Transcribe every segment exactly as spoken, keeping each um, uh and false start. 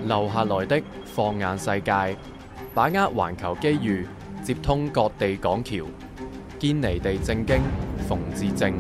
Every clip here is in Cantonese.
留下來的放眼世界，把握環球機遇，接通各地港橋，堅尼地正經，馮智政。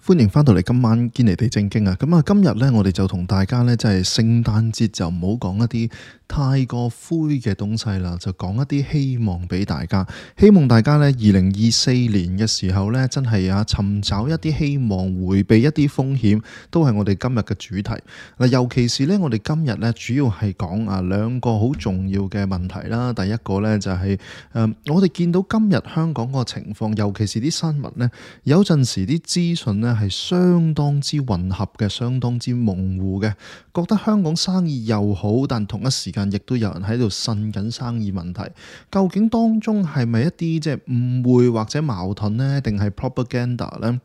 歡迎翻到嚟今晚堅尼地正經啊！咁啊，今日呢，我哋就同大家呢，即係聖誕節就唔好講一啲太過灰嘅東西啦，就講一啲希望俾大家。希望大家呢，二零二四年嘅時候呢，真係啊尋找一啲希望，回避一啲風險，都係我哋今日嘅主題。嗱，尤其是呢，我哋今日呢，主要係講啊兩個好重要嘅問題啦。第一個呢，就係誒，我哋見到今日香港個情況，尤其是啲新聞呢，有陣時啲資訊呢，係相當之混合嘅，相當之模糊嘅，覺得香港生意又好，但同一時間亦都有人喺度呻緊生意問題。究竟當中係咪一啲即係誤會或者矛盾呢？定係 propaganda 呢？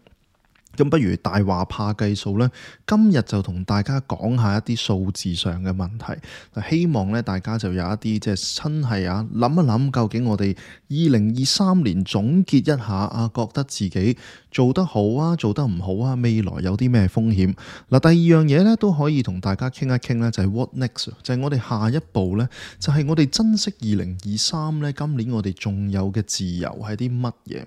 咁不如大話怕計數呢，今日就同大家講下一啲數字上嘅問題。希望咧大家就有一啲即係真係啊諗一諗，究竟我哋二零二三年總結一下啊，覺得自己做得好啊，做得唔好啊，未來有啲咩風險？嗱，第二樣嘢咧都可以同大家傾一傾咧，就係 what next，就係我哋下一步咧，就係我哋珍惜二零二三咧，今年我哋仲有嘅自由係啲乜嘢？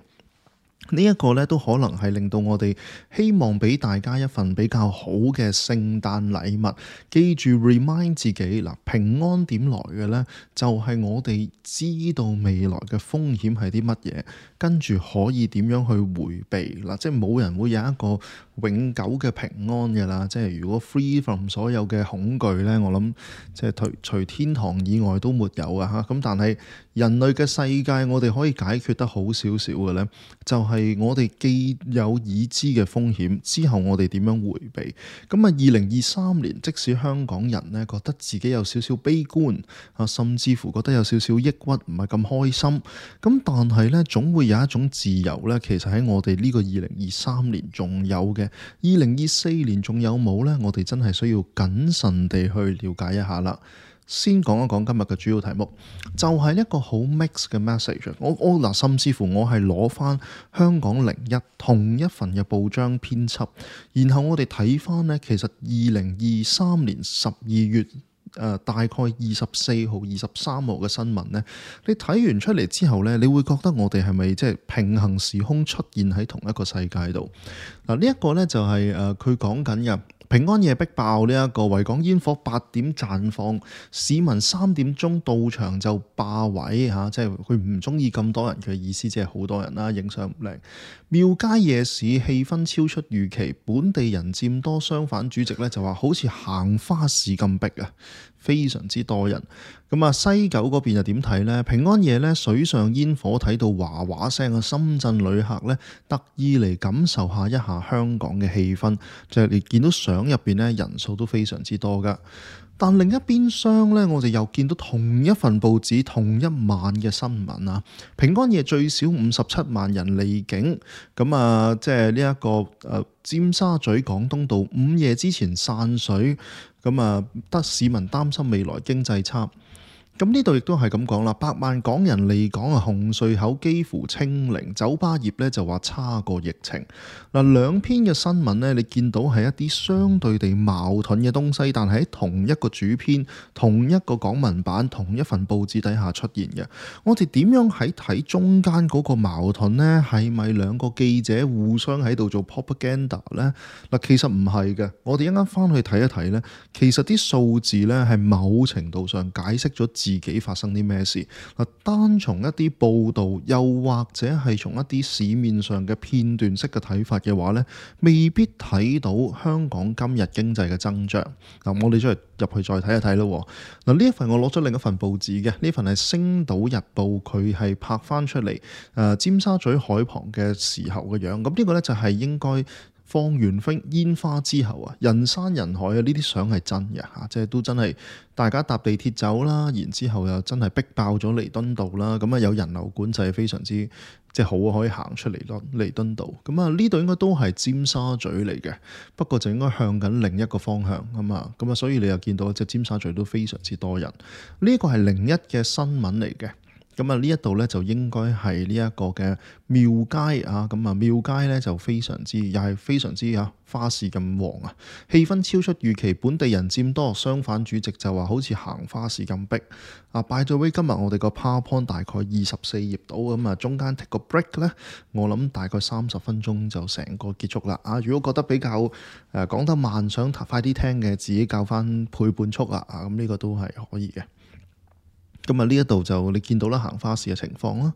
呢一個咧都可能係令到我哋希望俾大家一份比較好嘅聖誕禮物。記住 remind 自己嗱，平安點來嘅呢？就係我哋知道未來嘅風險係啲乜嘢，跟住可以點樣去迴避嗱，即係冇人會有一個永久嘅平安嘅啦。即係如果 free from 所有嘅恐懼呢，我諗即係除除天堂以外都沒有啊嚇。咁但係人類嘅世界，我哋可以解決得好少少嘅呢，就係、係我哋既有已知嘅風險，之後我哋點樣迴避？咁啊，二零二三年，即使香港人呢覺得自己有少少悲觀啊，甚至乎覺得有少少抑鬱，唔係咁開心，咁但係呢，總會有一種自由呢，其實喺我哋呢個二零二三年仲有嘅。二零二四年仲有冇呢？我哋真係需要謹慎地去了解一下啦。先講一講今日嘅主要題目，就係、是、一個好 mix 嘅 message。我我嗱，甚至乎我係攞翻香港零一同一份嘅報章編輯，然後我哋睇翻呢，其實二零二三年十二月誒、呃、大概二十四號、二十三號嘅新聞呢，你睇完出嚟之後呢，你會覺得我哋係咪即係平行時空出現喺同一個世界度？嗱，呢一個呢，就係誒佢講緊嘅。平安夜逼爆呢一個維港煙火八點綻放，市民三點鐘到場就霸位嚇，即係佢唔中意咁多人嘅意思，即係好多人啦，影相唔靚。廟街夜市氣氛超出預期，本地人佔多，相反主席咧就話好似行花市咁逼啊，非常之多人。咁啊，西九嗰邊又點睇呢？平安夜咧水上煙火睇到嘩嘩聲嘅深圳旅客咧特意嚟感受下一下香港嘅氣氛，就係你見到相入邊咧人數都非常之多噶。但另一邊廂咧，我哋又見到同一份報紙同一晚嘅新聞啊！平安夜最少五十七萬人離境，咁啊，即係呢一個誒、呃、尖沙咀廣東道午夜之前散水，咁啊，得市民擔心未來經濟差。咁呢度亦都係咁講啦，百萬港人離港啊，紅隧口幾乎清零，酒吧業咧就話差過疫情。嗱，兩篇嘅新聞呢，你見到係一啲相對地矛盾嘅東西，但係喺同一個主編、同一個港聞版、同一份報紙底下出現嘅。我哋點樣喺睇中間嗰個矛盾呢？係咪兩個記者互相喺度做 propaganda 呢？嗱，其實唔係嘅。我哋一陣間翻去睇一睇呢，其實啲數字呢係某程度上解釋咗自己發生啲咩事嗱，單從一啲報道，又或者係從一啲市面上嘅片段式嘅睇法嘅話呢，未必睇到香港今日經濟嘅增長嗱。我哋再入去再睇一睇咯。嗱，呢一份我攞咗另一份報紙嘅，呢份係《星島日報》，佢係拍翻出嚟誒尖沙咀海旁嘅時候嘅樣。咁呢個呢，就係應該放完飛煙花之後啊，人山人海啊，呢啲相係真嘅嚇，即係都真係大家搭地鐵走啦，然之後又真係逼爆咗彌敦道啦，咁啊有人流管制非常之即係好，可以行出嚟咯彌敦道，咁啊呢度應該都係尖沙咀嚟嘅，不過就應該向緊另一個方向啊嘛，咁啊所以你又見到即係尖沙咀都非常之多人，呢個係零一嘅新聞嚟嘅。咁啊呢一度咧就應該係呢一個嘅廟街啊，咁啊廟街咧就非常之又係非常之啊花市咁旺啊，氣氛超出預期，本地人佔多，相反主席就話好似行花市咁逼啊。By the way，今日我哋個 PowerPoint 大概二十四頁到，咁啊中間 take 個 break 咧，我諗大概三十分鐘就成個結束啦啊！如果覺得比較誒講得慢，想快啲聽嘅，自己校翻倍半速啦啊！咁呢個都係可以嘅。咁啊呢一度就你見到啦，行花市嘅情況啦。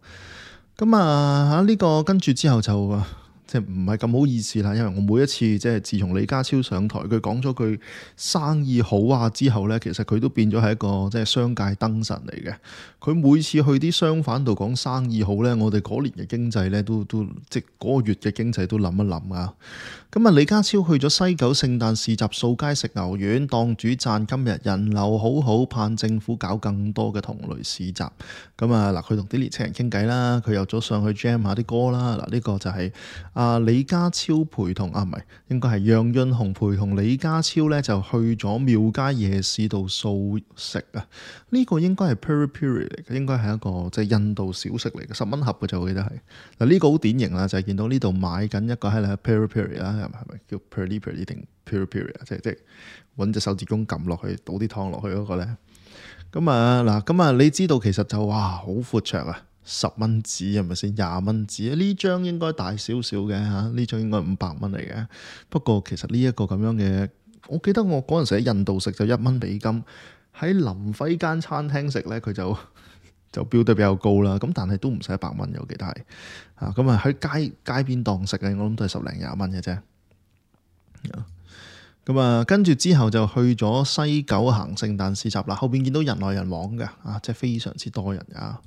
咁啊嚇呢個跟住之後就即係唔係咁好意思啦，因為我每一次即係自從李家超上台，佢講咗句生意好啊之後咧，其實佢都變咗係一個即係商界燈神嚟嘅。佢每次去啲商販度講生意好咧，我哋嗰年嘅經濟咧都都即係嗰個月嘅經濟都諗一諗啊。咁啊，李家超去咗西九聖誕市集掃街食牛丸，檔主讚今日人流好好，盼政府搞更多嘅同類市集。咁啊嗱，佢同啲年青人傾偈啦，佢又咗上去 jam 下啲歌啦。嗱，呢個就係、是、啊李家超陪同啊，唔係應該係楊潤雄陪同李家超咧，就去咗廟街夜市度掃食啊。呢、這個應該係 peri peri 嚟嘅，應該係一個即係、就是、印度小食嚟嘅，十蚊盒嘅就我記得係嗱。呢、這個好典型啦，就係、是、見到呢度買緊一個係啦 peri peri 啦。係咪叫 peri peri 定 peri peri 啊？即係即係揾隻手指公撳落去，倒啲湯落去嗰個咧。咁啊嗱，咁啊你知道其實就哇好闊綽啊，十蚊紙係咪先？廿蚊紙呢張應該大少少嘅嚇，呢張應該五百蚊嚟嘅。不過其實呢一個咁樣嘅，我記得我嗰陣時喺印度食就一蚊美金，喺林輝間餐廳食咧佢就就標得比較高啦。咁但係都唔使一百蚊，我記得係啊。咁啊喺街街邊檔食嘅，我諗都係十零廿蚊嘅啫。咁啊，跟住之後就去咗西九行聖誕市集啦。後邊見到人來人往嘅啊，即係非常之多人啊。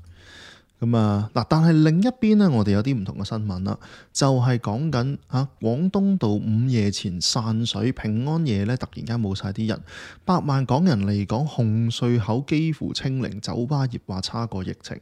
咁啊嗱，但係另一邊呢，我哋有啲唔同嘅新聞啦，就係講緊嚇廣東道午夜前散水，平安夜咧突然間冇晒啲人，百萬港人嚟講，紅隧口幾乎清零，酒吧業話差過疫情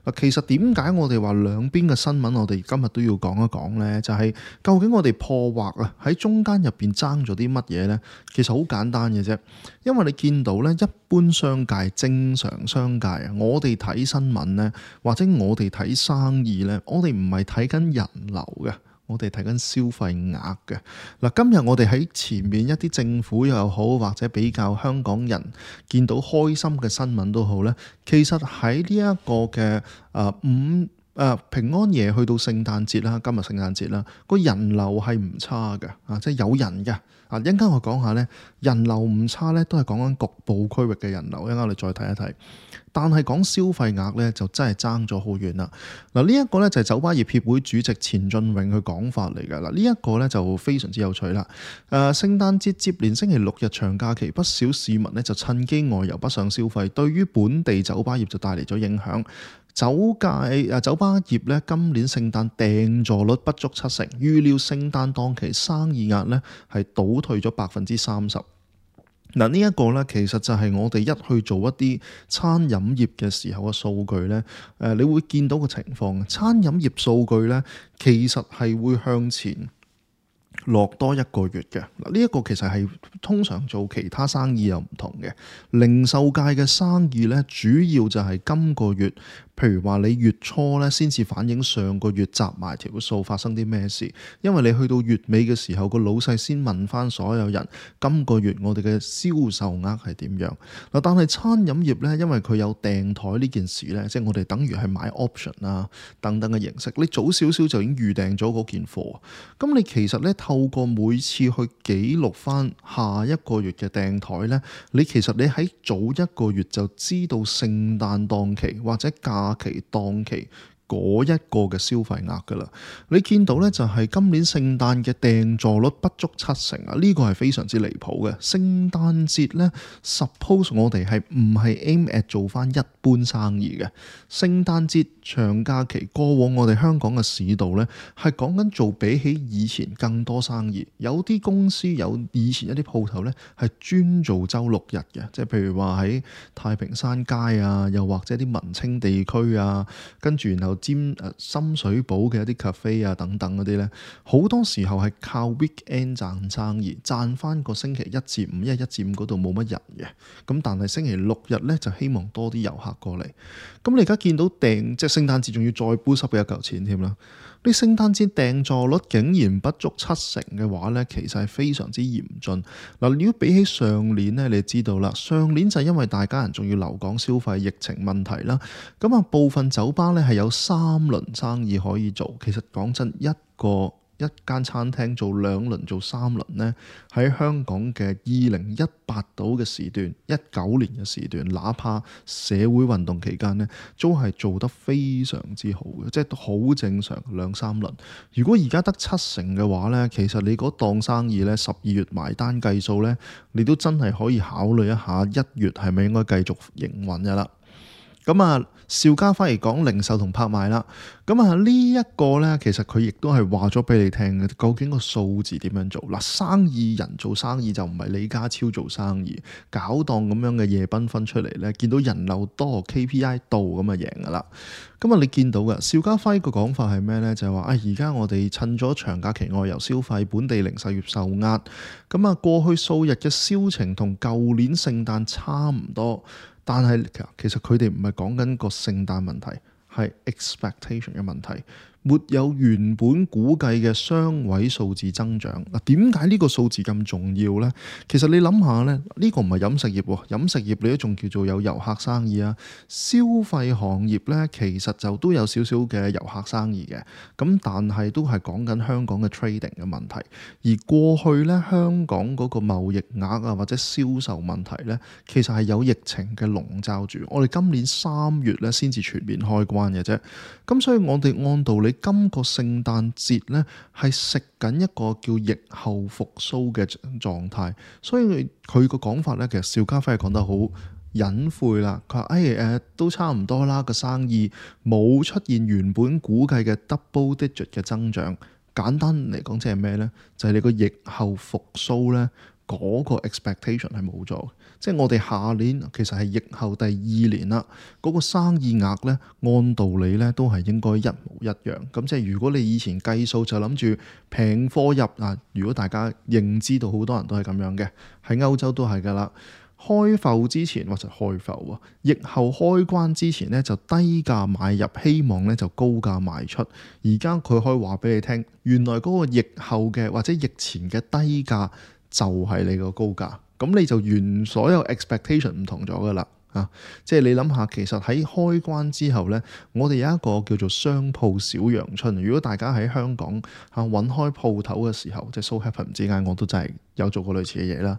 嗱。其實點解我哋話兩邊嘅新聞我哋今日都要講一講呢？就係、是、究竟我哋破獲啊喺中間入邊爭咗啲乜嘢呢？其實好簡單嘅啫，因為你見到呢，一般商界、正常商界啊，我哋睇新聞呢，或者我哋睇生意呢，我哋唔係睇緊人流嘅，我哋睇緊消費額嘅。嗱，今日我哋喺前面一啲政府又好，或者比較香港人見到開心嘅新聞都好呢，其實喺呢一個嘅誒五誒平安夜去到聖誕節啦，今日聖誕節啦，個人流係唔差嘅啊，即係有人嘅。啊，一陣間我講下咧，人流唔差咧，都係講緊局部區域嘅人流。一陣間我哋再睇一睇，但係講消費額咧，就真係爭咗好遠啦。嗱，呢一個咧就係酒吧業協會主席錢俊永佢講法嚟㗎。嗱，呢一個咧就非常之有趣啦。誒、呃，聖誕節接連星期六日長假期，不少市民咧就趁機外遊北上消費，對於本地酒吧業就帶嚟咗影響。酒界啊，酒吧業咧今年聖誕訂座率不足七成，預料聖誕檔期生意額咧係倒退咗百分之三十。嗱，呢一個咧其實就係我哋一去做一啲餐飲業嘅時候嘅數據咧，誒，你會見到個情況。餐飲業數據咧其實係會向前落多一個月嘅。嗱，呢一個其實係通常做其他生意又唔同嘅。零售界嘅生意咧，主要就係今個月，譬如話你月初咧先至反映上個月集埋條數發生啲咩事，因為你去到月尾嘅時候，個老細先問翻所有人今個月我哋嘅銷售額係點樣。嗱，但係餐飲業咧，因為佢有訂台呢件事咧，即係我哋等於係買 option 啊等等嘅形式，你早少少就已經預訂咗嗰件貨，咁你其實咧透過每次去記錄翻下一個月嘅訂台咧，你其實你喺早一個月就知道聖誕檔期或者假期檔期嗰一個嘅消費額㗎啦。你見到咧就係今年聖誕嘅訂座率不足七成啊，呢個係非常之離譜嘅。聖誕節咧 suppose 我哋係唔係 aim at 做翻一般生意嘅？聖誕節長假期過往我哋香港嘅市道咧係講緊做比起以前更多生意。有啲公司有以前一啲鋪頭咧係專做週六日嘅，即係譬如話喺太平山街啊，又或者啲文青地區啊，跟住然後尖誒深水埗嘅一啲 cafe 啊等等嗰啲咧，好多時候係靠 weekend 賺生意，賺翻個星期一至五，因為一至五嗰度冇乜人嘅。咁但係星期六日咧就希望多啲遊客過嚟。咁你而家見到訂即係聖誕節仲要再 boost 嘅一嚿錢添啦。你聖誕節訂座率竟然不足七成嘅話咧，其實係非常之嚴峻。嗱，如果比起上年咧，你就知道啦，上年就因為大家人仲要留港消費，疫情問題啦，咁啊部分酒吧咧係有三輪生意可以做。其實講真，一個一間餐廳做兩輪做三輪呢，喺香港嘅二零一八度嘅時段，一九年嘅時段，哪怕社會運動期間呢，都係做得非常之好嘅，即係好正常兩三輪。如果而家得七成嘅話呢，其實你嗰檔生意呢，十二月埋單計數呢，你都真係可以考慮一下一月係咪應該繼續營運嘅啦。咁啊，邵家輝嚟講零售同拍賣啦。咁啊，呢一個呢，其實佢亦都係話咗俾你聽嘅，究竟個數字點樣做？嗱，生意人做生意就唔係李家超做生意，搞檔咁樣嘅夜繽紛出嚟呢，見到人流多 K P I 到咁啊贏噶啦。咁啊，你見到嘅邵家輝個講法係咩呢？就係話啊，而家我哋趁咗長假期外遊消費，本地零售業受壓。咁啊，過去數日嘅銷情同舊年聖誕差唔多。但係其實佢哋唔係講緊個聖誕問題，係 expectation 嘅問題，沒有原本估計嘅雙位數字增長。嗱，點解呢個數字咁重要呢？其實你諗下呢，呢個唔係飲食業喎，飲食業你都仲叫做有遊客生意啊。消費行業呢，其實就都有少少嘅遊客生意嘅，咁但係都係講緊香港嘅 trading 嘅問題。而過去呢，香港嗰個貿易額啊或者銷售問題呢，其實係有疫情嘅籠罩住。我哋今年三月呢先至全面開關嘅啫，咁所以我哋按道理今個聖誕節呢係食緊一個叫疫後復甦嘅狀態，所以佢個講法呢，其實邵家輝係講得好隱晦啦。佢話誒誒都差唔多啦，個生意冇出現原本估計嘅 double digit 嘅增長。簡單嚟講，即係咩呢？就係、是、你個疫後復甦呢，嗰、那個 expectation 係冇咗。即係我哋下年其實係疫後第二年啦，嗰、那個生意額呢，按道理呢都係應該一模一樣。咁即係如果你以前計數就諗住平貨入啊，如果大家認知到好多人都係咁樣嘅，喺歐洲都係㗎啦。開埠之前或者開埠啊，疫後開關之前呢，就低價買入，希望呢就高價賣出。而家佢可以話俾你聽，原來嗰個疫後嘅或者疫前嘅低價就係你個高價。咁你就原所有 expectation 唔同咗㗎啦，啊！即係你諗下，其實喺開關之後呢，我哋有一個叫做商鋪小陽春。如果大家喺香港嚇揾開鋪頭嘅時候，即係 so happen 之間，我都真係有做過類似嘅嘢啦。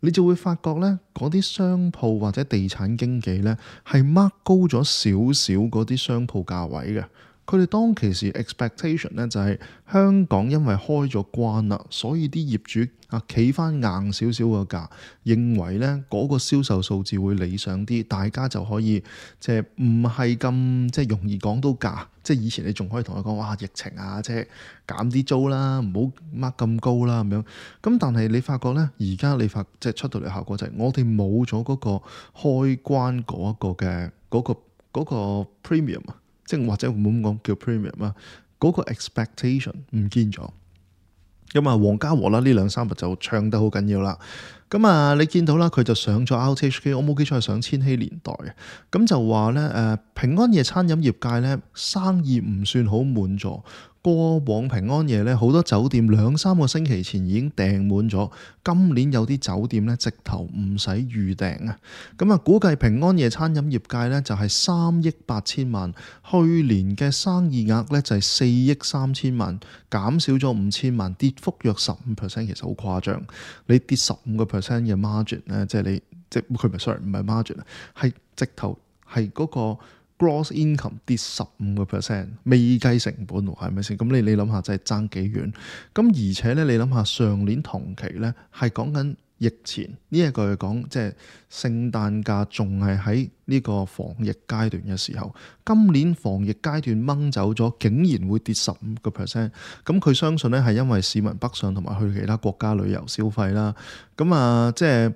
你就會發覺呢，嗰啲商鋪或者地產經紀呢，係 mark 高咗少少嗰啲商鋪價位嘅。佢哋當其時 expectation 咧就係香港因為開咗關啦，所以啲業主啊企翻硬少少個價，認為咧嗰個銷售數字會理想啲，大家就可以即係唔係咁即係容易講到價。即係以前你仲可以同佢講哇疫情啊，即係減啲租啦，唔好 mark 咁高啦咁樣。咁但係你發覺咧，而家你發即係出到嚟效果就係我哋冇咗嗰個開關嗰一個嘅嗰個嗰個 premium 啊。即係或者唔好咁講叫 premium 啊，嗰個 expectation 唔見咗。咁啊，黃家和啦，呢兩三日就唱得好緊要啦。咁啊，你見到啦，佢就上咗 R T H K，我冇記錯係上千禧年代嘅。咁就話咧，誒平安夜餐飲業界咧生意唔算好滿座。過往平安夜咧，好多酒店兩三個星期前已經訂滿咗。今年有啲酒店咧，直頭唔使預訂啊。咁啊，估計平安夜餐飲業界咧就係三億八千萬，去年嘅生意額咧就係四億三千萬，減少咗五千萬，跌幅約十五 percent， 其實好誇張。你跌十五個 percent 嘅 margin 咧，即係你即係佢唔係 sorry 唔係 margin 啊，係直頭係嗰個。Gross income 跌十五個 percent， 未計成本喎，係咪先？咁你你諗下，真係爭幾遠？咁而且咧，你諗下上年同期咧，係講緊疫前呢一個講，即係聖誕假仲係喺呢個防疫階段嘅時候，今年防疫階段掹走咗，竟然會跌十五個 percent。咁佢相信咧係因為市民北上同埋去其他國家旅遊消費啦。咁啊，即係。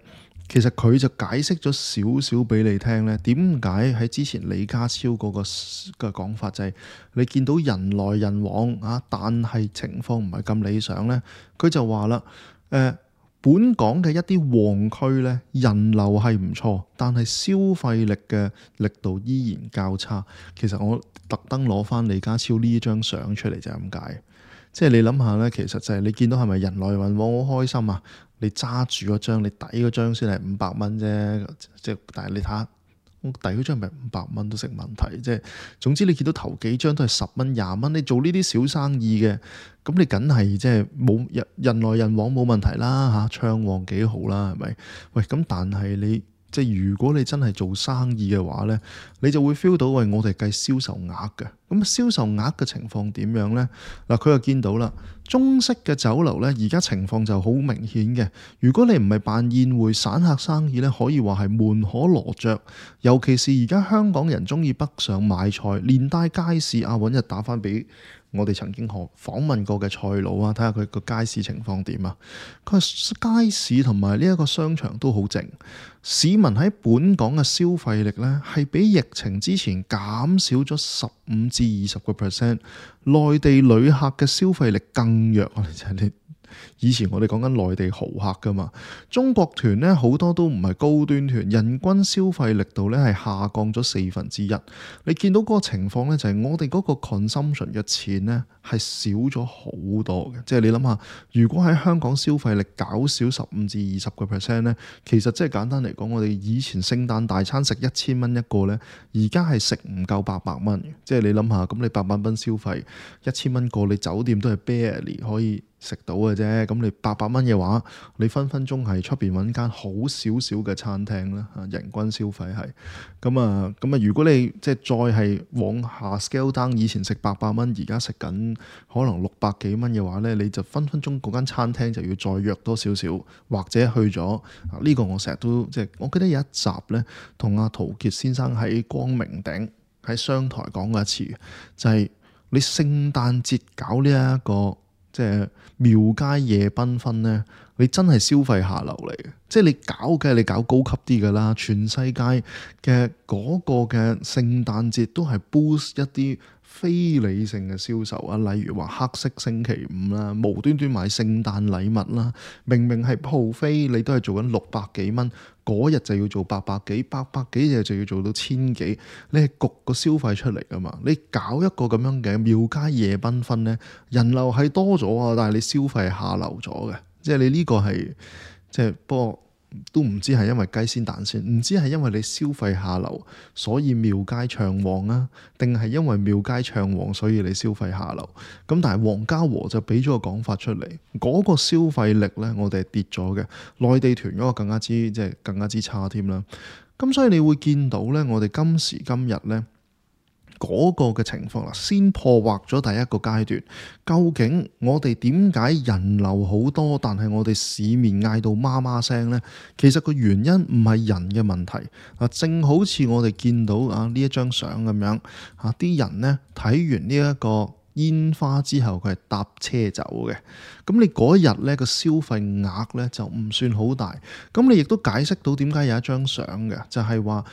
其實佢就解釋咗少少俾你聽咧，點解喺之前李家超嗰個嘅講法就係你見到人來人往啊，但係情況唔係咁理想咧。佢就話啦，誒、呃，本港嘅一啲旺區咧，人流係唔錯，但係消費力嘅力度依然較差。其實我特登攞翻李家超呢張相出嚟就係咁解。即係你諗下咧，其實就係你見到係咪人來人往好開心啊？你揸住嗰張，你抵嗰張先係五百蚊啫。即係但係你睇下，我抵嗰張咪五百蚊都成問題。即係總之你見到頭幾張都係十蚊、廿蚊，你做呢啲小生意嘅，咁你梗係即係冇人人來人往冇問題啦嚇，暢旺幾好啦，係咪？喂，咁但係你。即係如果你真係做生意嘅話呢，你就會 feel 到喂，我哋計銷售額嘅，咁銷售額嘅情況點樣呢？嗱，佢又見到啦，中式嘅酒樓呢，而家情況就好明顯嘅。如果你唔係辦宴會散客生意呢，可以話係門可羅雀。尤其是而家香港人中意北上買菜，連帶街市啊，揾日打翻俾我哋曾經訪問過嘅菜佬啊，睇下佢個街市情況點啊。佢話街市同埋呢一個商場都好靜，市民喺本港嘅消費力呢，係比疫情之前減少咗十五至二十個 percent， 內地旅客嘅消費力更弱啊！就係你。以前我哋講緊內地豪客噶嘛，中國團呢好多都唔係高端團，人均消費力度呢係下降咗四分之一。你見到嗰個情況呢，就係我哋嗰個 consumption 嘅錢呢係少咗好多嘅。即係你諗下，如果喺香港消費力減少十五至二十個 percent 呢，其實即係簡單嚟講，我哋以前聖誕大餐食一千蚊一個呢，而家係食唔夠八百蚊嘅。即係你諗下，咁你八百蚊消費一千蚊個，你酒店都係 barely 可以食到嘅啫，咁你八百蚊嘅話，你分分鐘係出邊揾間好少少嘅餐廳啦，人均消費係咁啊，咁啊，如果你即係再係往下 scale down，以前食八百蚊，而家食緊可能六百幾蚊嘅話呢，你就分分鐘嗰間餐廳就要再約多少少，或者去咗呢個我成日都即係，我記得有一集呢，同阿陶傑先生喺光明頂喺商台講過一次，就係你聖誕節搞呢一個。即係廟街夜繽紛呢，你真係消費下流嚟嘅。即係你搞嘅，你搞高級啲㗎啦。全世界嘅嗰個嘅聖誕節都係 boost 一啲非理性嘅銷售啊，例如話黑色星期五啦，無端端買聖誕禮物啦，明明係鋪飛，你都係做緊六百幾蚊，嗰日就要做八百幾，八百幾日就要做到千幾，你係焗個消費出嚟㗎嘛？你搞一個咁樣嘅廟街夜繽紛呢，人流係多咗啊，但係你消費下流咗嘅，即係你呢個係即係不過。都唔知係因為雞先蛋先，唔知係因為你消費下流，所以廟街暢旺啊，定係因為廟街暢旺，所以你消費下流？咁但係黃家和就俾咗個講法出嚟，嗰、那個消費力呢，我哋係跌咗嘅，內地團嗰個更加之即係更加之差添啦。咁所以你會見到呢，我哋今時今日呢。嗰個嘅情況啦，先破獲咗第一個階段。究竟我哋點解人流好多，但係我哋市面嗌到媽媽聲呢？其實個原因唔係人嘅問題啊，正好似我哋見到啊呢一張相咁樣啊，啲人呢睇完呢一個煙花之後，佢係搭車走嘅。咁你嗰日呢個消費額呢就唔算好大。咁你亦都解釋到點解有一張相嘅，就係話。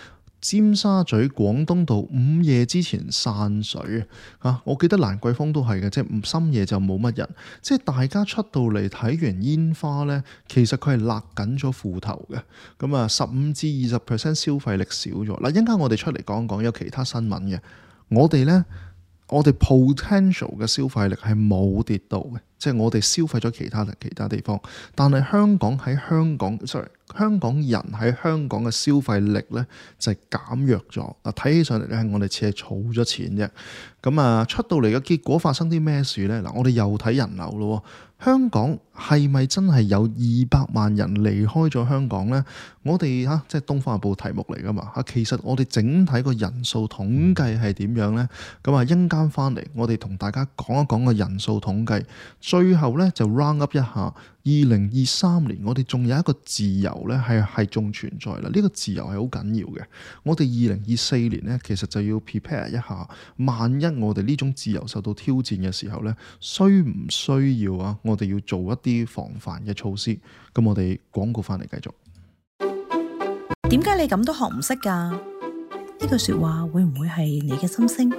尖沙咀廣東道午夜之前散水啊！我記得蘭桂坊都係嘅，即係深夜就冇乜人，即係大家出到嚟睇完煙花呢，其實佢係勒緊咗褲頭嘅。咁啊，十五至二十 percent 消費力少咗。嗱，一陣間我哋出嚟講講有其他新聞嘅，我哋呢，我哋 potential 嘅消費力係冇跌到嘅，即係我哋消費咗其他其他地方，但係香港喺香港，sorry。香港人喺香港嘅消費力呢，就係減弱咗。嗱，睇起上嚟咧，係我哋似係儲咗錢啫。咁啊，出到嚟嘅結果發生啲咩事呢？嗱，我哋又睇人流咯。香港係咪真係有二百萬人離開咗香港呢？我哋嚇即係《東方日報》題目嚟噶嘛嚇。其實我哋整體個人數統計係點樣呢？咁啊，一陣間翻嚟，我哋同大家講一講個人數統計。最後呢，就 round up 一下。二零二三年我哋仲有一個自由呢，係係仲存在啦。呢、這個自由係好緊要嘅。我哋二零二四年呢，其實就要 prepare 一下，萬一我哋呢種自由受到挑戰嘅時候呢，需唔需要啊？我哋要做一啲防範嘅措施。咁我哋廣告翻嚟繼續。點解你咁都學唔識㗎？呢句說話會唔會係你嘅心聲？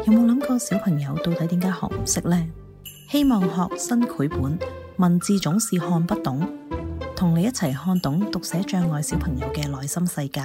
有冇諗過小朋友到底點解學唔識呢？希望學新繪本，文字總是看不懂，同你一齊看懂讀寫障礙小朋友嘅內心世界。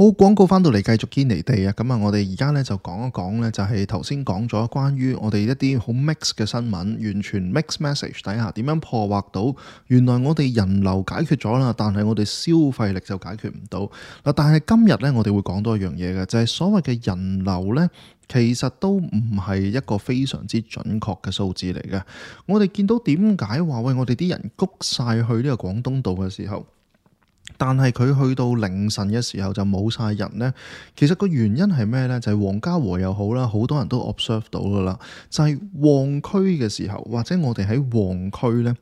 好，廣告翻到嚟繼續堅尼地啊！咁啊，我哋而家咧就講一講咧，就係頭先講咗關於我哋一啲好 mix 嘅新聞，完全 mix message 底下點樣破獲到原來我哋人流解決咗啦，但係我哋消費力就解決唔到嗱。但係今日咧，我哋會講多一樣嘢嘅，就係所謂嘅人流咧，其實都唔係一個非常之準確嘅數字嚟嘅。我哋見到點解話喂，我哋啲人谷晒去呢個廣東道嘅時候，但係佢去到凌晨嘅時候就冇晒人呢？其實個原因係咩呢？就係黃家和又好啦，好多人都 observe 到噶啦，就係旺區嘅時候，或者我哋喺旺區呢，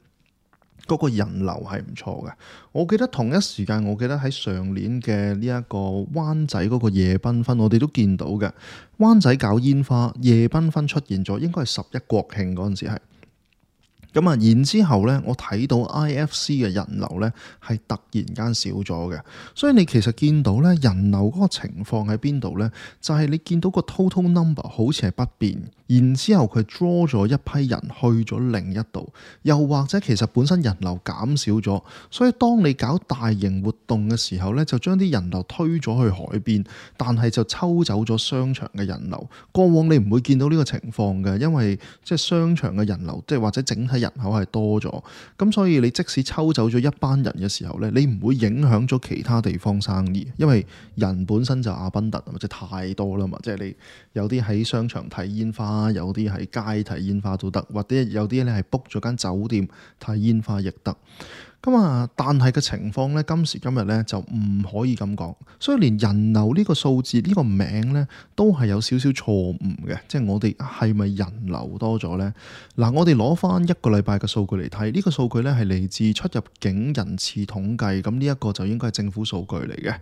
嗰個人流係唔錯嘅。我記得同一時間，我記得喺上年嘅呢一個灣仔嗰個夜繽紛，我哋都見到嘅。灣仔搞煙花夜繽紛出現咗，應該係十一國慶嗰陣時係。咁啊，然之後咧，我睇到 I F C 嘅人流咧係突然間少咗嘅，所以你其實見到咧人流嗰個情況喺邊度咧？就係你見到個 total number 好似係不變，然之後佢 draw 咗一批人去咗另一度，又或者其實本身人流減少咗，所以當你搞大型活動嘅時候咧，就將啲人流推咗去海邊，但係就抽走咗商場嘅人流。過往你唔會見到呢個情況嘅，因為即係商場嘅人流，即係或者整體人口係多咗，咁所以你即使抽走咗一班人嘅時候咧，你唔會影響咗其他地方生意，因為人本身就阿賓特或者太多啦嘛，即係你有啲喺商場睇煙花，有啲喺街睇煙花都得，或者有啲咧係 book 咗間酒店睇煙花亦得。咁啊，但係嘅情況咧，今時今日咧就唔可以咁講，所以連人流呢個數字呢個名咧都係有少少錯誤嘅，即係我哋係咪人流多咗呢？嗱，我哋攞翻一個禮拜嘅數據嚟睇，呢個數據咧係嚟自出入境人次統計，咁呢一個就應該係政府數據嚟嘅。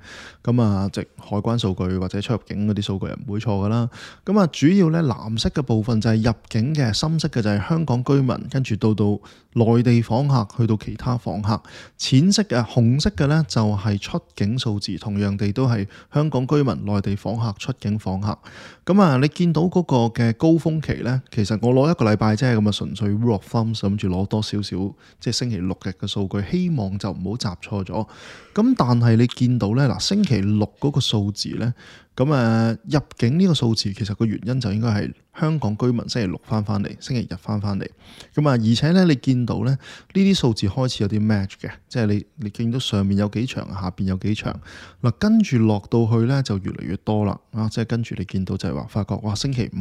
咁啊，即海關數據或者出入境嗰啲數據係唔會錯噶啦。咁啊，主要咧藍色嘅部分就係入境嘅，深色嘅就係香港居民，跟住到到內地訪客，去到其他訪客。淺色嘅、紅色嘅呢，就係出境數字，同樣地都係香港居民、內地訪客、出境訪客。咁啊，你見到嗰個嘅高峰期呢，其實我攞一個禮拜啫，咁啊純粹 rule of thumb，諗住攞多少少，即係星期六日嘅數據，希望就唔好集錯咗。咁但係你見到呢，嗱星期六嗰個數字呢，咁誒入境呢個數字其實個原因就應該係香港居民星期六翻翻嚟，星期日翻翻嚟。咁啊，而且咧你見到咧呢啲數字開始有啲 match 嘅，即係你你見到上面有幾長，下邊有幾長。嗱，跟住落到去咧就越嚟越多啦。啊，即係跟住你見到就係話發覺哇，星期五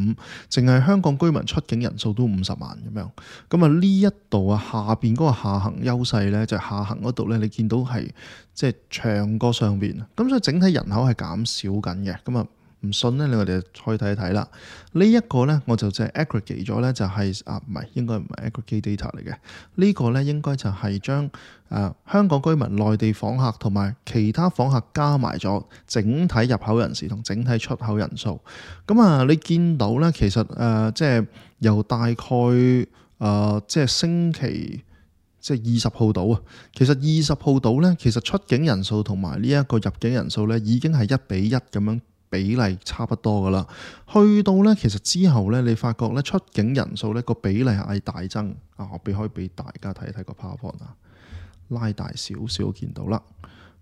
淨係香港居民出境人數都五十萬咁樣。咁啊呢一度啊下邊嗰個下行優勢咧，就係下行嗰度咧，你見到係即係長過上邊。咁所以整體人口係減少緊嘅。咁啊唔信咧，你我哋可以睇一睇啦。呢、這、一個咧，我就即係 aggregate 咗咧，就係、是、啊，唔係應該唔係 aggregate data 嚟嘅。這個、呢個咧應該就係將誒香港居民、內地訪客同埋其他訪客加埋咗整體入口人士同整體出口人數。咁啊，你見到咧，其實誒、呃、即係由大概誒、呃、即係星期即係二十號到啊。其實二十號到咧，其實出境人數同埋呢一個入境人數咧，已經係一比一咁樣。比例差不多噶啦，去到咧其實之後咧，你發覺咧出境人數咧個比例係大增啊！我俾可以俾大家睇一睇個 PowerPoint 啊，拉大少少見到啦。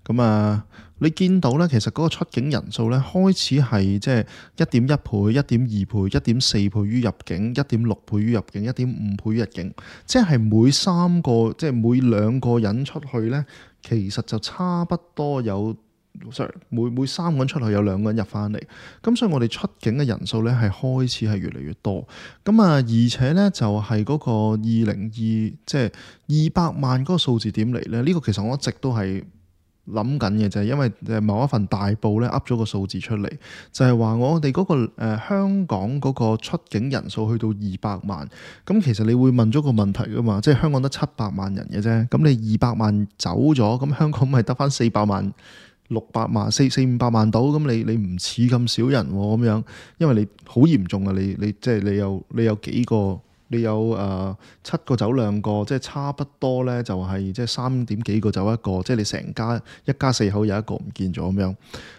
咁啊，你見到咧，其實嗰個出境人數咧開始係即係一點一倍、一點二倍、一點四倍於入境、一點六倍於入境、一點五倍於入境，即係每三個即係每兩個人出去咧，其實就差不多有 sorry 每每三個人出去有兩個人入翻嚟，咁所以我哋出境嘅人數咧係開始係越嚟越多。咁啊，而且咧就係嗰個二零二即係二百萬嗰個數字點嚟咧？呢、這個其實我一直都係諗緊嘅，就係因為誒某一份大報咧噏咗個數字出嚟，就係話我哋嗰個誒香港嗰個出境人數去到二百萬，咁其實你會問咗個問題噶嘛，即係香港得七百萬人嘅啫，咁你二百萬走咗，咁香港咪得翻四百萬、六百萬、四四五百萬到，咁你你唔似咁少人咁樣，因為你好嚴重啊，你你即係你有你有幾個。你有誒、呃、七個走兩個，即係差不多咧，就係即係三點幾個走一個，即係你成家一家四口有一個唔見咗咁樣。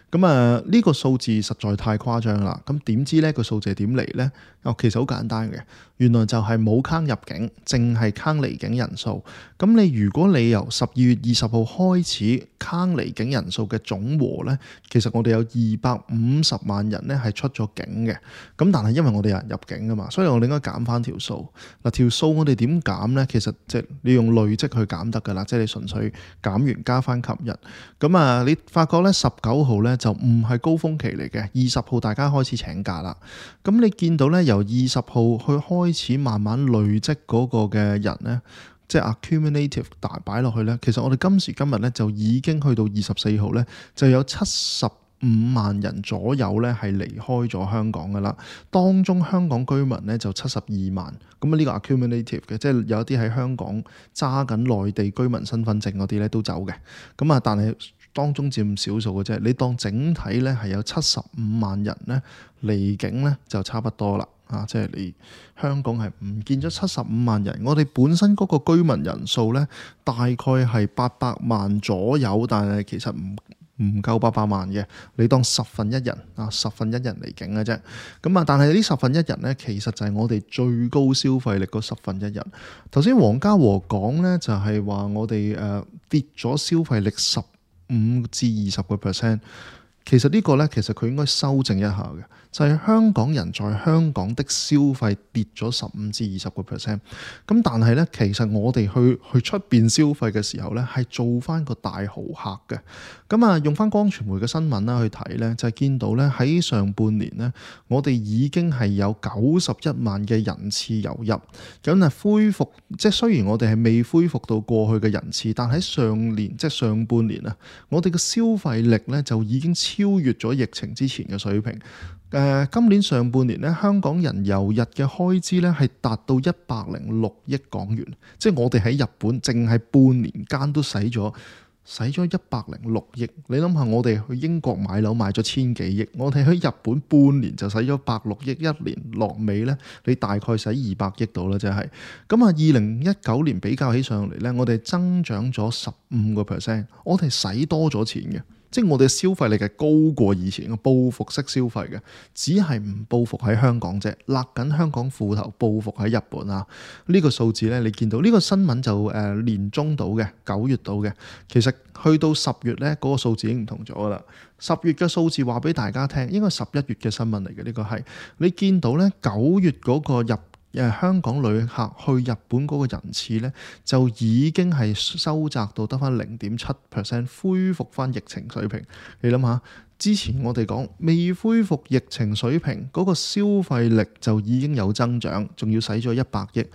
咁啊呢個數字實在太誇張啦。咁點知呢個數字係點嚟呢？哦，其實好簡單嘅，原來就係冇坑入境，淨係坑離境人數。咁你如果你由十二月二十號開始坑離境人數嘅總和呢，其實我哋有二百五十萬人呢係出咗境嘅。咁但係因為我哋有人入境啊嘛，所以我哋應該減翻條數。嗱，條數我哋點減呢？其實即係你用累積去減得㗎啦，即係你純粹減完加翻琴日。咁啊，你發覺呢十九號呢就唔係高峰期嚟嘅，二十號大家開始請假啦。咁你見到呢，由二十號去開始慢慢累積嗰個嘅人呢，即係 accumulative 大擺落去呢。其實我哋今時今日呢，就已經去到二十四號呢，就有七十五萬人左右呢係離開咗香港噶啦。當中香港居民呢，就七十二萬。咁啊呢個 accumulative 嘅，即係有一啲喺香港揸緊內地居民身份證嗰啲呢都走嘅。咁啊，但係當中佔少數嘅啫。你當整體呢係有七十五萬人呢離境呢，就差不多啦。啊，即係你香港係唔見咗七十五萬人。我哋本身嗰個居民人數呢，大概係八百萬左右，但係其實唔唔夠八百萬嘅。你當十分一人啊，十分一人離境嘅啫。咁啊，但係呢十分一人呢，其實就係我哋最高消費力嗰十分一人。頭先黃家和講呢，就係話我哋誒跌咗消費力十五至二十個 percent。其實呢個呢，其實佢應該修正一下嘅，就係香港人在香港的消費跌咗十五至二十個 percent。咁但係呢，其實我哋去去出邊消費嘅時候呢，係做翻個大豪客嘅。咁啊，用翻光傳媒嘅新聞啦去睇呢，就係見到呢，喺上半年呢，我哋已經係有九十一萬嘅人次流入。咁啊，恢復即係雖然我哋係未恢復到過去嘅人次，但喺上年即係上半年啊，我哋嘅消費力呢，就已經超越咗疫情之前嘅水平。誒、呃，今年上半年咧，香港人遊日嘅開支咧係達到一百零六億港元，即係我哋喺日本淨係半年間都使咗使咗一百零六億。你諗下，我哋去英國買樓買咗千幾億，我哋喺日本半年就使咗百六億，一年落尾咧，你大概使二百億到啦，即係。咁啊，二零一九年比較起上嚟咧，我哋增長咗十五個 percent，我哋使多咗錢嘅。即係我哋消費力係高過以前嘅報復式消費嘅，只係唔報復喺香港啫，勒緊香港褲頭報復喺日本啊！呢、這個數字咧，你見到呢、這個新聞就誒、呃、年中到嘅，九月到嘅，其實去到十月咧，嗰、那個數字已經唔同咗噶啦。十月嘅數字話俾大家聽，應該十一月嘅新聞嚟嘅，呢、這個係你見到咧，九月嗰個入。誒香港旅客去日本嗰個人次呢，就已經係收窄到得翻零點七 percent， 恢復翻疫情水平。你諗下，之前我哋講未恢復疫情水平，嗰個消費力就已經有增長，仲要使咗一百億。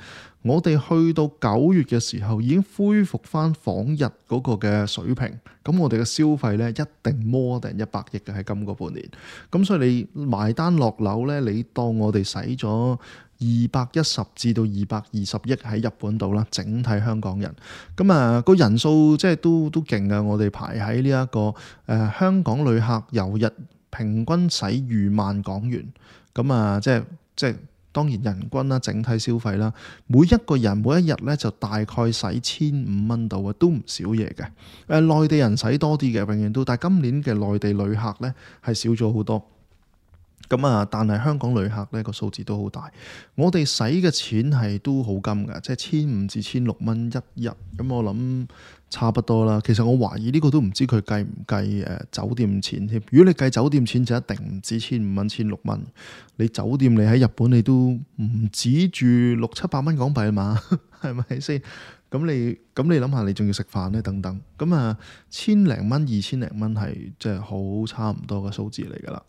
我哋去到九月嘅時候已經恢復翻訪日嗰個嘅水平，咁我哋嘅消費呢，一定more than一百億嘅喺今個半年。咁所以你埋單落樓呢，你當我哋使咗二百一十至到二百二十億喺日本度啦，整體香港人。咁啊個人數即係都都勁啊！我哋排喺呢一個誒、呃、香港旅客遊日平均使逾萬港元。咁啊即係即係。當然人均啦，整體消費啦，每一個人每一日咧就大概使千五蚊度啊，都唔少嘢嘅。誒、呃，內地人使多啲嘅，永遠都，但係今年嘅內地旅客咧係少咗好多。咁啊，但係香港旅客呢個數字都好大，我哋使嘅錢係都好金㗎，即係千五至千六蚊一日。咁我諗差不多啦。其實我懷疑呢個都唔知佢計唔計誒酒店錢添。如果你計酒店錢就一定唔止千五蚊、千六蚊。你酒店你喺日本你都唔止住六七百蚊港幣啊嘛，係咪先？咁你咁你諗下，你仲要食飯咧等等，咁啊千零蚊、二千零蚊係即係好差唔多嘅數字嚟㗎啦。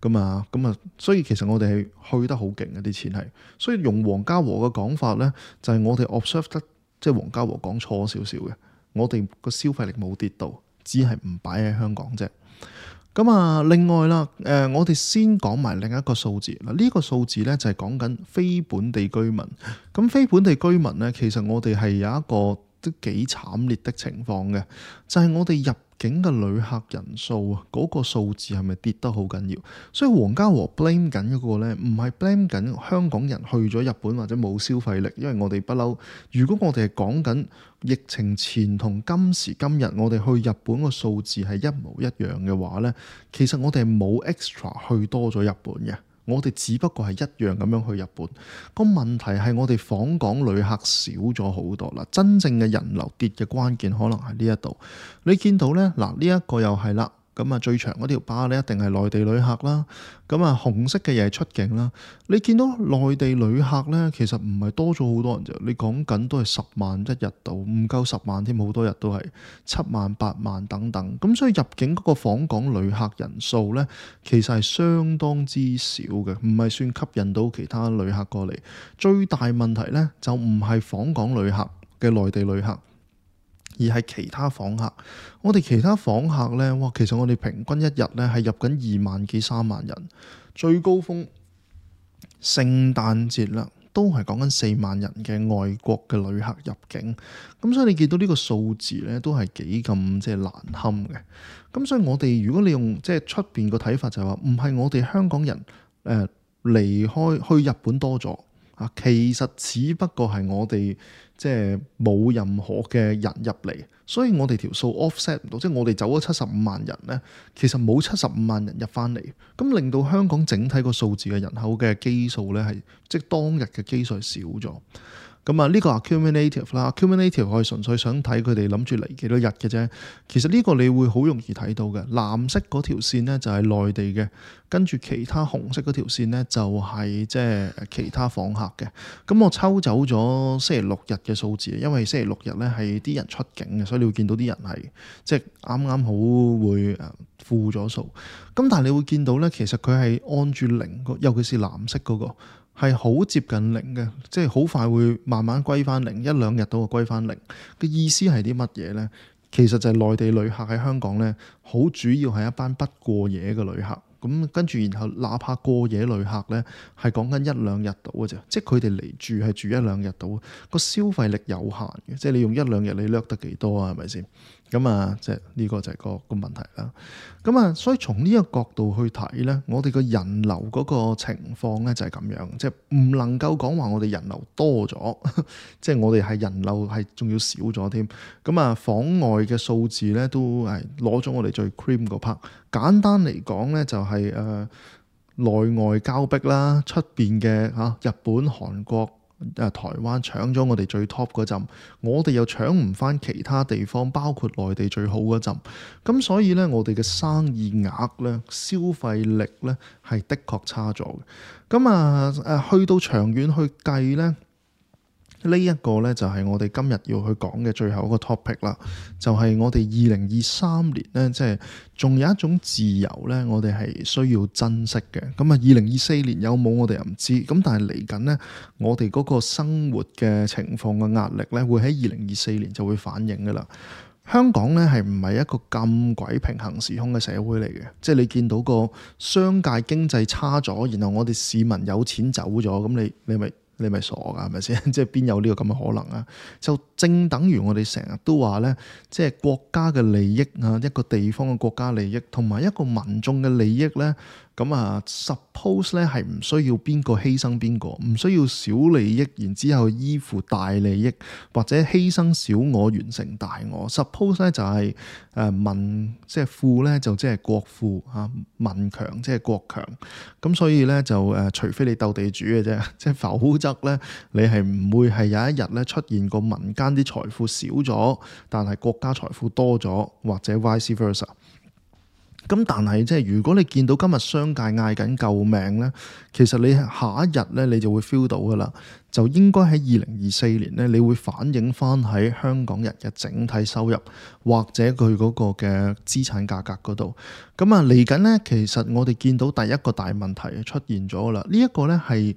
咁啊咁啊，所以其實我哋係去得好勁嘅啲錢係，所以用黃家和嘅講法咧，就係、是、我哋 observe 得即係黃家和講錯少少嘅，我哋個消費力冇跌到，只係唔擺喺香港啫。咁啊，另外啦，誒、呃，我哋先講埋另一個數字嗱，呢、這個數字咧就係講緊非本地居民。咁非本地居民咧，其實我哋係有一個都幾慘烈的情況嘅，就係、是、我哋入境嘅旅客人數啊，嗰、那個數字係咪跌得好緊要？所以黃家和 blame 緊嗰個咧，唔係 blame 緊香港人去咗日本或者冇消費力，因為我哋不嬲。如果我哋係講緊疫情前同今時今日，我哋去日本個數字係一模一樣嘅話咧，其實我哋係冇 extra 去多咗日本嘅。我哋只不過係一樣咁樣去日本，個問題係我哋訪港旅客少咗好多啦。真正嘅人流跌嘅關鍵可能係呢一度。你見到呢，嗱，呢一個又係啦。咁啊，最長嗰條巴咧，一定係內地旅客啦。咁啊，紅色嘅嘢係出境啦。你見到內地旅客咧，其實唔係多咗好多人啫。你講緊都係十萬一日度，唔夠十萬添，好多日都係七萬、八萬等等。咁所以入境嗰個訪港旅客人數咧，其實係相當之少嘅，唔係算吸引到其他旅客過嚟。最大問題咧，就唔係訪港旅客嘅內地旅客，而係其他訪客。我哋其他訪客呢，哇，其實我哋平均一日呢係入緊二萬幾三萬人，最高峰聖誕節啦，都係講緊四萬人嘅外國嘅旅客入境。咁所以你見到呢個數字呢，都係幾咁即係難堪嘅。咁所以我哋如果你用即係出邊個睇法就係話，唔係我哋香港人誒離開去日本多咗啊，其實只不過係我哋即係冇任何嘅人入嚟，所以我哋條數 offset 唔到，即係我哋走咗七十五萬人咧，其實冇七十五萬人入翻嚟，咁令到香港整體個數字嘅人口嘅基數咧係即係當日嘅基數少咗。咁啊，呢個 accumulative 啦 ，accumulative 我係純粹想睇佢哋諗住嚟幾多日嘅啫。其實呢個你會好容易睇到嘅，藍色嗰條線呢就係內地嘅，跟住其他紅色嗰條線呢就係即係其他訪客嘅。咁我抽走咗星期六日嘅數字，因為星期六日呢係啲人出境嘅，所以你會見到啲人係即係啱啱好會誒負咗數。咁但係你會見到呢，其實佢係按住零個，尤其是藍色嗰個。係好接近零嘅，即係好快會慢慢歸翻零，一兩日都會歸翻零。嘅意思係啲乜嘢呢？其實就係內地旅客喺香港呢，好主要係一班不過夜嘅旅客。咁跟住，然後哪怕過夜旅客呢，係講緊一兩日到嘅啫，即係佢哋嚟住係住一兩日到，個消費力有限嘅，即係你用一兩日你掠得幾多啊？係咪先？咁啊，即係呢個就係個個問題啦。咁啊，所以從呢個角度去睇呢，我哋個人流嗰個情況呢，就係咁樣，即係唔能夠講話我哋人流多咗，即係我哋係人流係仲要少咗添。咁啊，訪外嘅數字呢，都係攞咗我哋最 cream 嗰 part。簡單嚟講呢，就係誒內外交逼啦，出邊嘅嚇日本、韓國、誒台灣搶咗我哋最 top 嗰陣，我哋又搶唔翻其他地方，包括內地最好嗰陣。咁所以呢，我哋嘅生意額呢、消費力呢，係的確差咗嘅。咁啊誒，去到長遠去計呢。呢一個呢，就係我哋今日要去講嘅最後一個 topic 啦，就係我哋二零二三年呢，即係仲有一種自由呢，我哋係需要珍惜嘅。咁啊，二零二四年有冇我哋又唔知，咁但係嚟緊呢，我哋嗰個生活嘅情況嘅壓力呢，會喺二零二四年就會反映噶啦。香港呢，係唔係一個咁鬼平衡時空嘅社會嚟嘅？即係你見到個商界經濟差咗，然後我哋市民有錢走咗，咁你你咪？你咪傻㗎，係咪先？即係邊有呢個咁嘅可能啊？就正等於我哋成日都話呢，即係國家嘅利益啊，一個地方嘅國家利益，同埋一個民眾嘅利益呢。咁啊 suppose 咧係唔需要邊個犧牲邊個，唔需要小利益，然之後依附大利益，或者犧牲小我完成大我。suppose 咧就係誒民即係富咧就即係國富嚇，民強即係國強。咁所以咧就誒，除非你鬥地主嘅啫，即係否則咧你係唔會係有一日咧出現個民間啲財富少咗，但係國家財富多咗，或者 vice versa。咁但係即係如果你見到今日商界嗌緊救命咧，其實你下一日咧你就會 feel 到噶啦，就應該喺二零二四年咧，你會反映翻喺香港人嘅整體收入或者佢嗰個嘅資產價格嗰度。咁啊嚟緊咧，其實我哋見到第一個大問題出現咗啦，呢一個咧係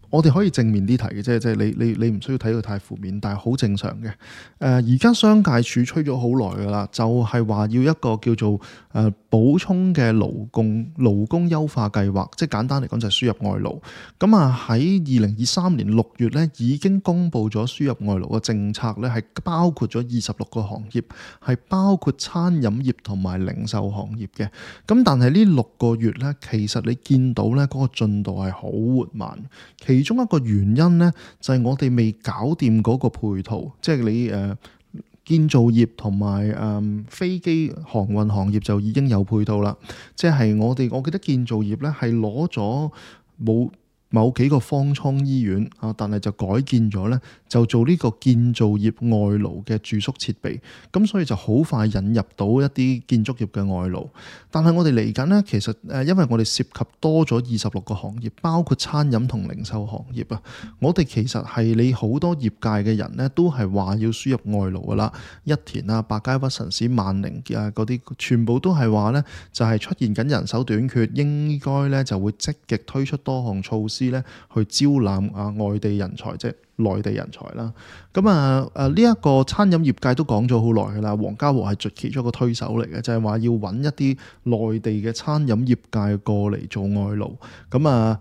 我哋可以正面啲睇嘅啫，即係你你你唔需要睇到太負面，但係好正常嘅。誒而家商界處吹咗好耐㗎啦，就係話要一個叫做誒補充嘅勞工勞工優化計劃，即係簡單嚟講就係輸入外勞。咁啊喺二零二三年六月咧已經公布咗輸入外勞嘅政策咧，係包括咗二十六個行業，係包括餐飲業同埋零售行業嘅。咁但係呢六個月咧，其實你見到咧嗰個進度係好緩慢。其中一個原因咧，就係我哋未搞掂嗰個配套，即係你誒、呃、建造業同埋誒飛機航運行業就已經有配套啦。即係我哋，我記得建造業咧係攞咗冇某幾個方艙醫院啊，但係就改建咗咧，就做呢個建造業外勞嘅住宿設備，咁所以就好快引入到一啲建築業嘅外勞。但係我哋嚟緊咧，其實誒，因為我哋涉及多咗二十六個行業，包括餐飲同零售行業啊，我哋其實係你好多業界嘅人咧，都係話要輸入外勞噶啦，一田啊、百佳、屈臣氏、萬寧啊嗰啲，全部都係話咧，就係出現緊人手短缺，應該咧就會積極推出多項措施咧，去招攬啊外地人才，即係內地人才啦。咁啊誒呢一個餐飲業界都講咗好耐㗎啦，黃家和係其中一個推手嚟嘅，就係話要揾一啲內地嘅餐飲業界過嚟做外勞。咁啊，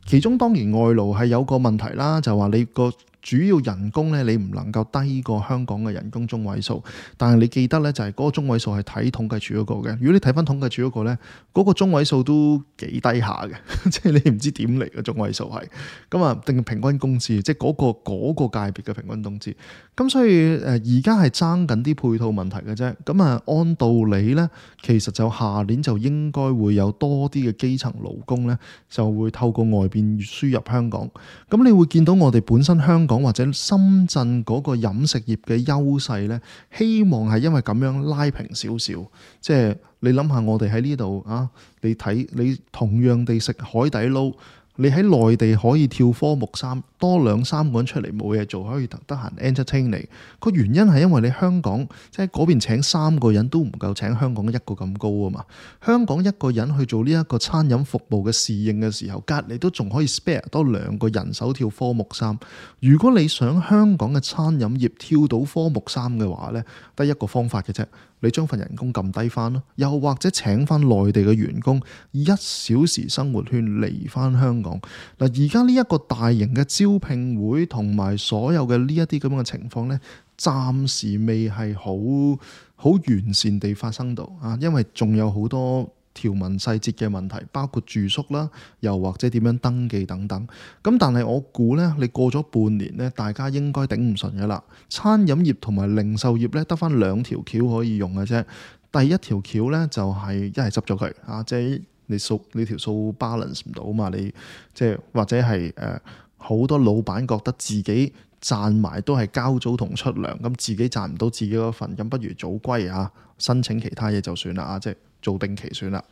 其中當然外勞係有個問題啦，就係話你個主要人工咧，你唔能夠低過香港嘅人工中位數。但係你記得咧，就係嗰個中位數係睇統計處嗰個嘅。如果你睇翻統計處嗰個咧，嗰個中位數都幾低下嘅，即係你唔知點嚟嘅中位數係咁啊，定平均工資，即係嗰個嗰個界別嘅平均工資。咁所以誒，而家係爭緊啲配套問題嘅啫。咁啊，按道理咧，其實就下年就應該會有多啲嘅基層勞工咧，就會透過外邊輸入香港。咁你會見到我哋本身香港或者深圳嗰個飲食業嘅優勢咧，希望係因為咁樣拉平少少。即係你諗下，我哋喺呢度啊，你睇你同樣地食海底撈，你喺內地可以跳科目三，多兩三個人出嚟冇嘢做，可以得閒 entertain 你。個原因係因為你香港即係嗰邊請三個人都唔夠請香港一個咁高啊嘛。香港一個人去做呢一個餐飲服務嘅侍應嘅時候，隔離都仲可以 spare 多兩個人手跳科目三。如果你想香港嘅餐飲業跳到科目三嘅話呢，得一個方法嘅啫。你將份人工撳低翻咯，又或者請翻內地嘅員工一小時生活圈嚟翻香港。嗱，而家呢一個大型嘅招聘會同埋所有嘅呢一啲咁樣嘅情況呢，暫時未係好好完善地發生到啊，因為仲有好多條文細節嘅問題，包括住宿啦，又或者點樣登記等等。咁但係我估呢，你過咗半年呢，大家應該頂唔順嘅啦。餐飲業同埋零售業呢，得返兩條橋可以用嘅啫。第一條橋呢，就係一係執咗佢啊，即係你數你條數 balance 唔到嘛，你即係或者係誒好多老闆覺得自己賺埋都係交租同出糧，咁自己賺唔到自己嗰份，咁不如早歸啊，申請其他嘢就算啦啊，即係做定期算啦。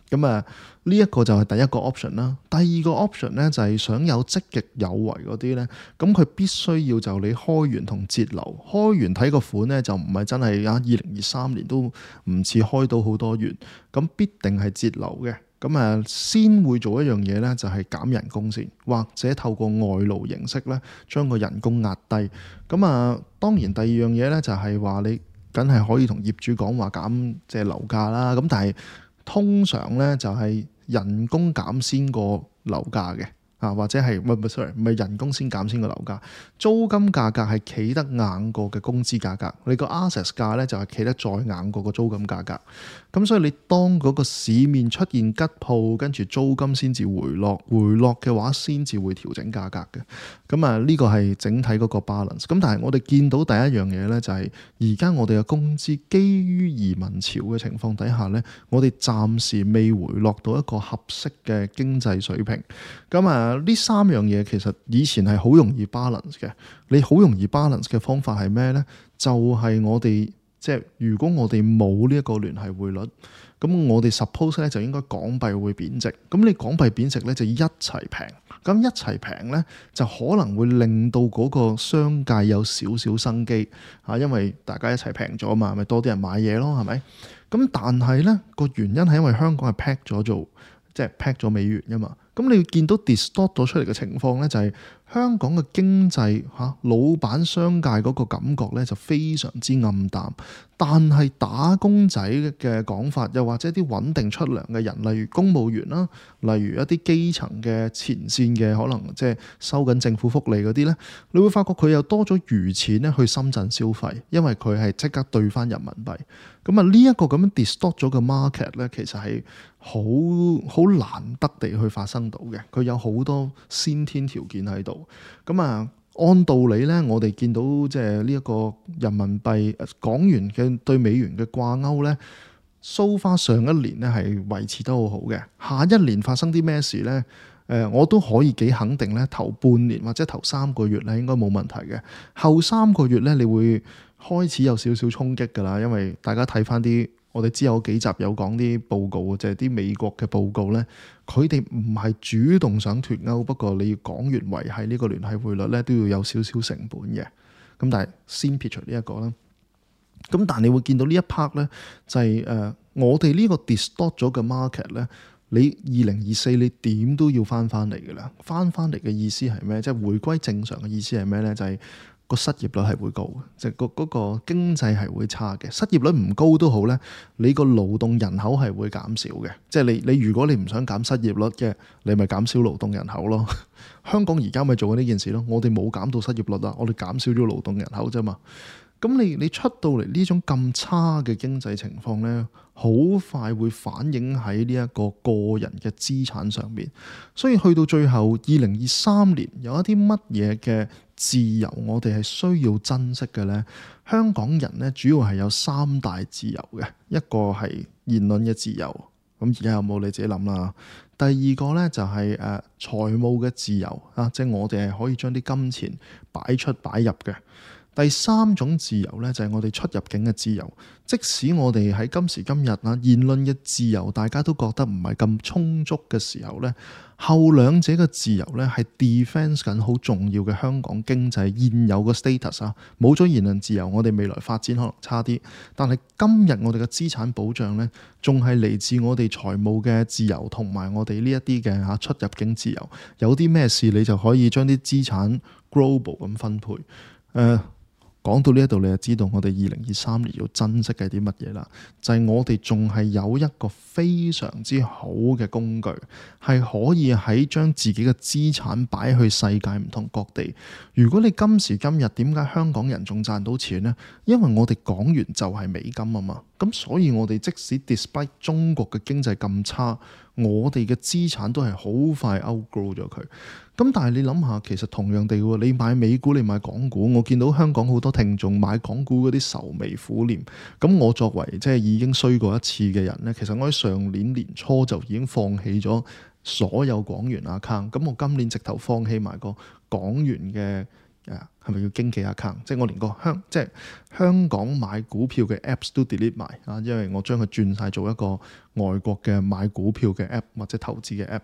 咁啊，呢一個就係第一個 option 啦。第二個 option 咧就係想有積極有為嗰啲咧，咁佢必須要就你開源同節流。開源睇個款咧就唔係真係啊，二零二三年都唔似開到好多源，咁必定係節流嘅。咁啊，先會做一樣嘢咧，就係減人工先，或者透過外勞形式咧，將個人工壓低。咁啊，當然第二樣嘢咧就係話你梗係可以同業主講話減即係樓價啦。咁但係通常咧就係人工減先過樓價嘅。啊，或者係唔係唔係 sorry，唔係人工先減先個樓價，租金價格係企得硬過嘅工資價格，你個 assets 價咧就係企得再硬過個租金價格。咁所以你當嗰個市面出現吉鋪，跟住租金先至回落，回落嘅話先至會調整價格嘅。咁啊，呢個係整體嗰個 balance。咁但係我哋見到第一樣嘢咧，就係而家我哋嘅工資基於移民潮嘅情況底下咧，我哋暫時未回落到一個合適嘅經濟水平。咁啊〜呢三樣嘢其實以前係好容易 balance 嘅，你好容易 balance 嘅方法係咩呢？就係、是、我哋即係如果我哋冇呢一個聯繫匯率，咁我哋 suppose 咧就應該港幣會貶值，咁你港幣貶值咧就一齊平，咁一齊平咧就可能會令到嗰個商界有少少生機啊，因為大家一齊平咗嘛，咪多啲人買嘢咯，係咪？咁但係咧個原因係因為香港係 peg 咗做即係 peg 咗美元㗎嘛，咁你見到 distort 咗出嚟嘅情況咧就係香港嘅經濟嚇老闆商界嗰個感覺咧就非常之暗淡。但係打工仔嘅講法，又或者啲穩定出糧嘅人，例如公務員啦，例如一啲基層嘅前線嘅，可能即係收緊政府福利嗰啲咧，你會發覺佢又多咗餘錢咧去深圳消費，因為佢係即刻兌翻人民幣。咁啊呢一個咁樣 distort 咗嘅 market 咧，其實係好好難得地去發生到嘅，佢有好多先天條件喺度。咁啊〜按道理咧，我哋見到即係呢一個人民幣港元嘅對美元嘅掛鈎咧，so far上一年咧係維持得好好嘅。下一年發生啲咩事咧？誒、呃，我都可以幾肯定咧，頭半年或者頭三個月咧應該冇問題嘅。後三個月咧，你會開始有少少衝擊㗎啦，因為大家睇翻啲。我哋之後幾集有講啲報告，就係啲美國嘅報告咧，佢哋唔係主動想脫歐，不過你要港元維係呢個聯繫匯率咧，都要有少少成本嘅。咁但係先撇除呢一個啦。咁但係你會見到呢一 part 咧，就係、是、誒、呃、我哋呢個 distort 咗嘅 market 咧，你二零二四你點都要翻翻嚟㗎啦。翻翻嚟嘅意思係咩？即係回歸正常嘅意思係咩咧？就係、是。個失業率係會高嘅，即係個嗰個經濟係會差嘅。失業率唔高都好咧，你個勞動人口係會減少嘅。即係你你如果你唔想減失業率嘅，你咪減少勞動人口咯。香港而家咪做緊呢件事咯。我哋冇減到失業率啊，我哋減少咗勞動人口啫嘛。咁你你出到嚟呢種咁差嘅經濟情況咧，好快會反映喺呢一個個人嘅資產上面。所以去到最後二零二三年有一啲乜嘢嘅自由我哋係需要珍惜嘅呢？香港人咧主要係有三大自由嘅，一個係言論嘅自由，咁而家有冇你自己諗啦。第二個咧就係誒財務嘅自由啊，即係我哋係可以將啲金錢擺出擺入嘅。第三種自由咧就係我哋出入境嘅自由，即使我哋喺今時今日啊言論嘅自由大家都覺得唔係咁充足嘅時候咧，後兩者嘅自由咧係 defense 緊好重要嘅香港經濟現有嘅 status 啊，冇咗言論自由，我哋未來發展可能差啲，但係今日我哋嘅資產保障咧仲係嚟自我哋財務嘅自由同埋我哋呢一啲嘅嚇出入境自由，有啲咩事你就可以將啲資產 global 咁分配，誒、呃。講到呢一度，你就知道我哋二零二三年要珍惜嘅啲乜嘢啦。就係、是、我哋仲係有一個非常之好嘅工具，係可以喺將自己嘅資產擺去世界唔同各地。如果你今時今日點解香港人仲賺到錢呢？因為我哋港元就係美金啊嘛。咁所以我哋即使 despite 中國嘅經濟咁差，我哋嘅資產都係好快 outgrow 咗佢。咁但係你諗下，其實同樣地喎，你買美股，你買港股，我見到香港好多聽眾買港股嗰啲愁眉苦臉。咁我作為即係已經衰過一次嘅人呢，其實我喺上年年初就已經放棄咗所有港元 account。咁我今年直頭放棄埋個港元嘅。誒係咪叫經紀 account？ 即係我連個香即係香港買股票嘅 apps 都 delete 埋啊，因為我將佢轉晒做一個外國嘅買股票嘅 app 或者投資嘅 app。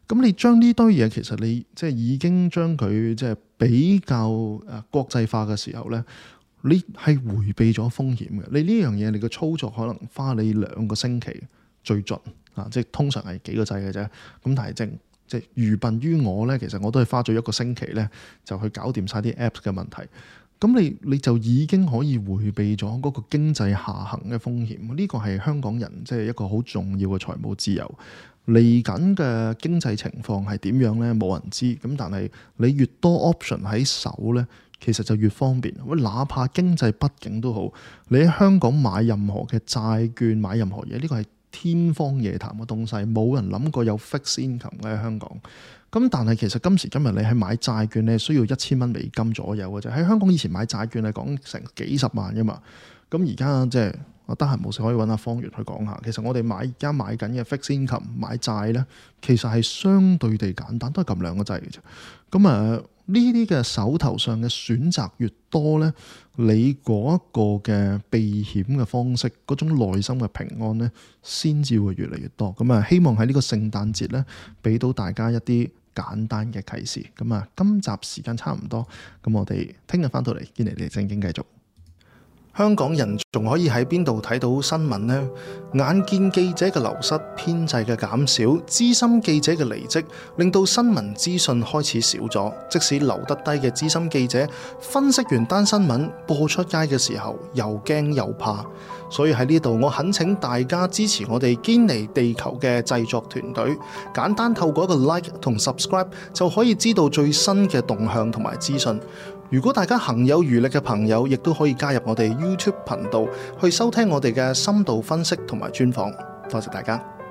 咁你將呢堆嘢其實你即係已經將佢即係比較誒國際化嘅時候咧，你係迴避咗風險嘅。你呢樣嘢你嘅操作可能花你兩個星期最盡啊，即係通常係幾個掣嘅啫。咁但係正。即係愚笨於我咧，其實我都係花咗一個星期咧，就去搞掂晒啲 apps 嘅問題。咁你你就已經可以迴避咗嗰個經濟下行嘅風險。呢個係香港人即係一個好重要嘅財務自由。嚟緊嘅經濟情況係點樣咧？冇人知。咁但係你越多 option 喺手咧，其實就越方便。哪怕經濟不景都好，你喺香港買任何嘅債券，買任何嘢，呢個係天方夜譚嘅東西，冇人諗過有 fixed income 嘅喺香港。咁但係其實今時今日你係買債券，你係需要一千蚊美金左右嘅啫。喺香港以前買債券係講成幾十萬噶嘛。咁而家即係我得閒冇事可以揾阿方月去講下。其實我哋買而家買緊嘅 fixed income 買債咧，其實係相對地簡單，都係撳兩個掣嘅啫。咁啊呢啲嘅手頭上嘅選擇越多呢，你嗰一個嘅避險嘅方式，嗰種內心嘅平安呢，先至會越嚟越多。咁啊，希望喺呢個聖誕節呢，俾到大家一啲簡單嘅啟示。咁啊，今集時間差唔多，咁我哋聽日翻到嚟堅尼地正經繼續。香港人仲可以喺邊度睇到新聞呢？眼見記者嘅流失、編制嘅減少、資深記者嘅離職，令到新聞資訊開始少咗。即使留得低嘅資深記者，分析完單新聞播出街嘅時候，又驚又怕。所以喺呢度，我懇請大家支持我哋堅尼地球嘅製作團隊，簡單透過一個 like 同 subscribe 就可以知道最新嘅動向同埋資訊。如果大家行有餘力嘅朋友，亦都可以加入我哋 YouTube 頻道去收聽我哋嘅深度分析同埋專訪。多謝大家。